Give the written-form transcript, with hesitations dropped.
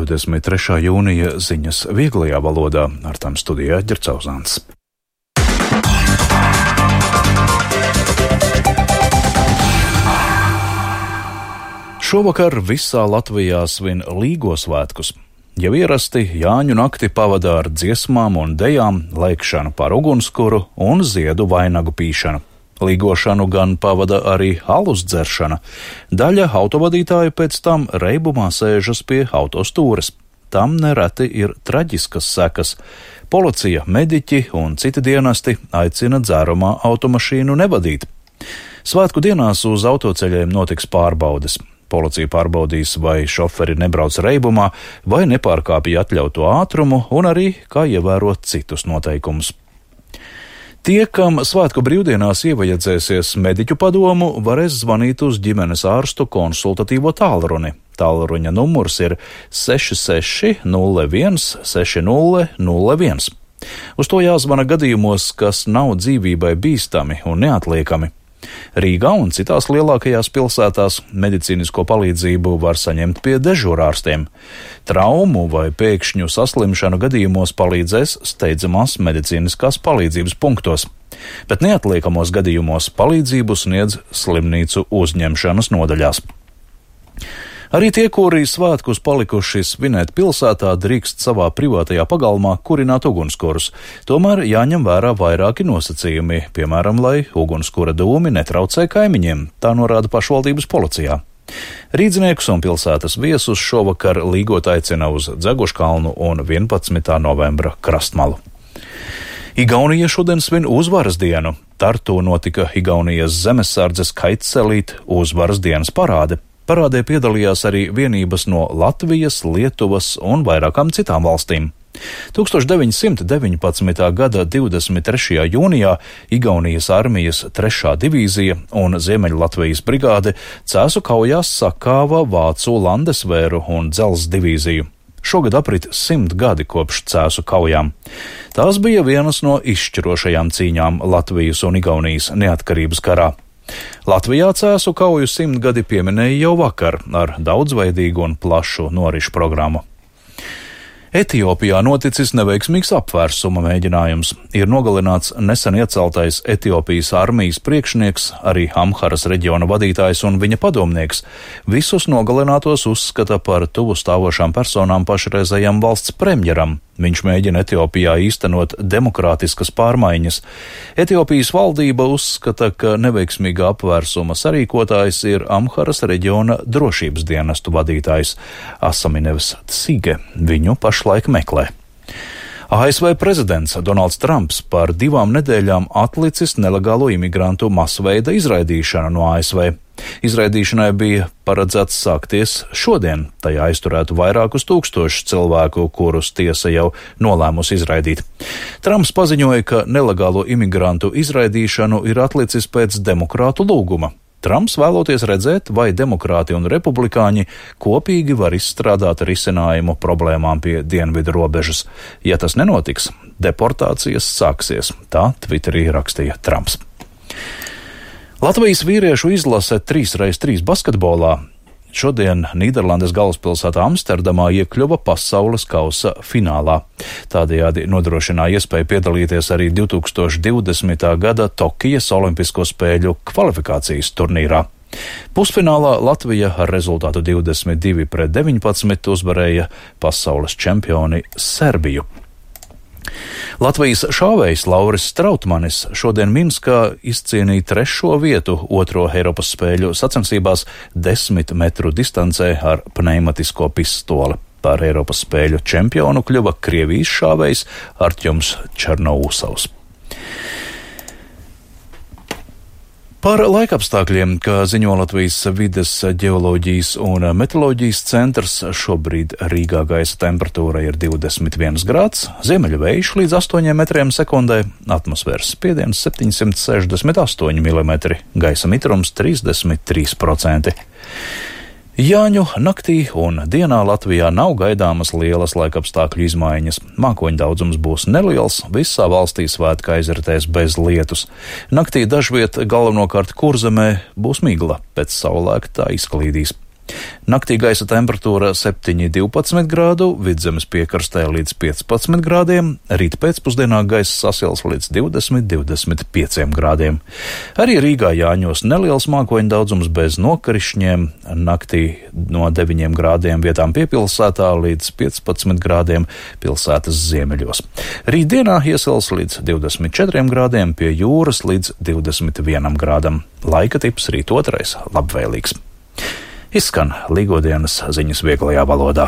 23. jūnija ziņas vieglajā valodā, ar tām studijā Ģercauzāns. Šovakar visā Latvijā svin Līgo svētkus. Jau ierasti Jāņu nakti pavadā ar dziesmām un dejām, lēkšanu par ugunskuru un ziedu vainagu pīšanu. Līgošanu gan pavada arī alus dzeršana. Daļa autovadītāju pēc tam reibumā sēžas pie autostūres. Tam nereti ir traģiskas sekas. Policija, mediķi un citi dienesti aicina dzērumā automašīnu nevadīt. Svētku dienās uz autoceļiem notiks pārbaudes. Policija pārbaudīs, vai šoferi nebrauc reibumā, vai nepārkāpja atļauto ātrumu un arī kā ievērot citus noteikumus. Tie, kam svētku brīvdienās ievajadzēsies mediķu padomu, varēs zvanīt uz ģimenes ārstu konsultatīvo tālruni. Tālruņa numurs ir 66 01 60 01. Uz to jāzvana gadījumos, kas nav dzīvībai bīstami un neatliekami. Rīgā un citās lielākajās pilsētās medicīnisko palīdzību var saņemt pie dežūrārstiem. Traumu vai pēkšņu saslimšanu gadījumos palīdzēs steidzamās medicīniskās palīdzības punktos, bet neatliekamos gadījumos palīdzību sniedz slimnīcu uzņemšanas nodaļās. Arī tie, kuri svētkus palikuši svinēt pilsētā, drīkst savā privātajā pagalmā kurināt ugunskurus. Tomēr jāņem vērā vairāki nosacījumi, piemēram, lai ugunskura dūmi netraucē kaimiņiem, tā norāda pašvaldības policijā. Rīdzniekus un pilsētas viesus šovakar līgot aicina uz Dzeguškalnu un 11. novembra krastmalu. Igaunija šodien svin uzvaras dienu. Tartu notika Igaunijas zemesardzes kaitcelīt uzvaras dienas parāde. Parādē piedalījās arī vienības no Latvijas, Lietuvas un vairākām citām valstīm. 1919. gada 23. jūnijā Igaunijas armijas 3. divīzija un Ziemeļlatvijas brigāde Cēsu kaujās sakāva Vācu Landesvēru un Dzelzs divīziju. Šogad aprit 100 gadi kopš Cēsu kaujām. Tās bija vienas no izšķirošajām cīņām Latvijas un Igaunijas neatkarības karā. Latvijā Cēsu kauju 100 gadi pieminēja jau vakar ar daudzveidīgu un plašu norišu programmu. Etiopijā noticis neveiksmīgs apvērsuma mēģinājums. Ir nogalināts nesen ieceltais Etiopijas armijas priekšnieks, arī Amharas reģiona vadītājs un viņa padomnieks. Visus nogalinātos uzskata par tuvu stāvošām personām pašreizējam valsts premjeram. Viņš mēģina Etiopijā īstenot demokrātiskas pārmaiņas. Etiopijas valdība uzskata, ka neveiksmīgā apvērsuma sarīkotājs ir Amharas reģiona drošības dienestu vadītājs Asaminevs Tsige. Viņu pašlaik meklē. ASV prezidents Donalds Trumps par 2 nedēļām atlicis nelegālo imigrantu masveida izraidīšanu no ASV. Izraidīšanai bija paredzēts sākties šodien. Tajā aizturētu vairākus tūkstošus cilvēku, kurus tiesa jau nolēmusi izraidīt. Trumps paziņoja, ka nelegālo imigrantu izraidīšanu ir atlicis pēc demokrātu lūguma. Trumps vēloties redzēt, vai demokrāti un republikāņi kopīgi var izstrādāt risinājumu problēmām pie dienvidu robežas. Ja tas nenotiks, deportācijas sāksies, tā Twitterī rakstīja Trumps. Latvijas vīriešu izlase 3x3 basketbolā šodien Nīderlandes galvaspilsētā Amsterdamā iekļuva pasaules kausa finālā. Tādējādi nodrošināja iespēju piedalīties arī 2020. gada Tokijas Olimpisko spēļu kvalifikācijas turnīrā. Pusfinālā Latvija ar rezultātu 22-19 uzvarēja pasaules čempioni Serbiju. Latvijas šāvējs Lauris Strautmanis šodien Minskā izcīnīja 3. vietu 2. Eiropas spēļu sacensībās 10 metru distancē ar pneimatisko pistoli. Par Eiropas spēļu čempionu kļuva Krievijas šāvējs Artjoms Černousovs. Par laikapstākļiem, kā ziņo Latvijas vides ģeoloģijas un meteoroloģijas centrs, šobrīd Rīgā gaisa temperatūra ir 21 grāds, ziemeļu vējš līdz 8 metriem sekundē, atmosfēras spiediens 768 mm, gaisa mitrums 33%. Jāņu naktī un dienā Latvijā nav gaidāmas lielas laikapstākļu izmaiņas. Mākoņu daudzums būs neliels, visā valstī svētki aizritēs bez lietus. Naktī dažviet galvenokārt Kurzemē būs migla, pēc saulēkta tā izklīdīs. Naktī gaisa temperatūra 7–12 grādu, Vidzemes piekrastē līdz 15 grādiem, rīt pēcpusdienā gaisa sasils līdz 20–25 grādiem. Arī Rīgā Jāņos neliels mākoņu daudzums bez nokrišņiem, naktī no 9 grādiem vietām piepilsētā līdz 15 grādiem pilsētas ziemeļos. Rītdienā iesils līdz 24 grādiem, pie jūras līdz 21 grādam. Laika tips rīt otrais labvēlīgs. Izskan Līgodienas ziņas vieglajā valodā.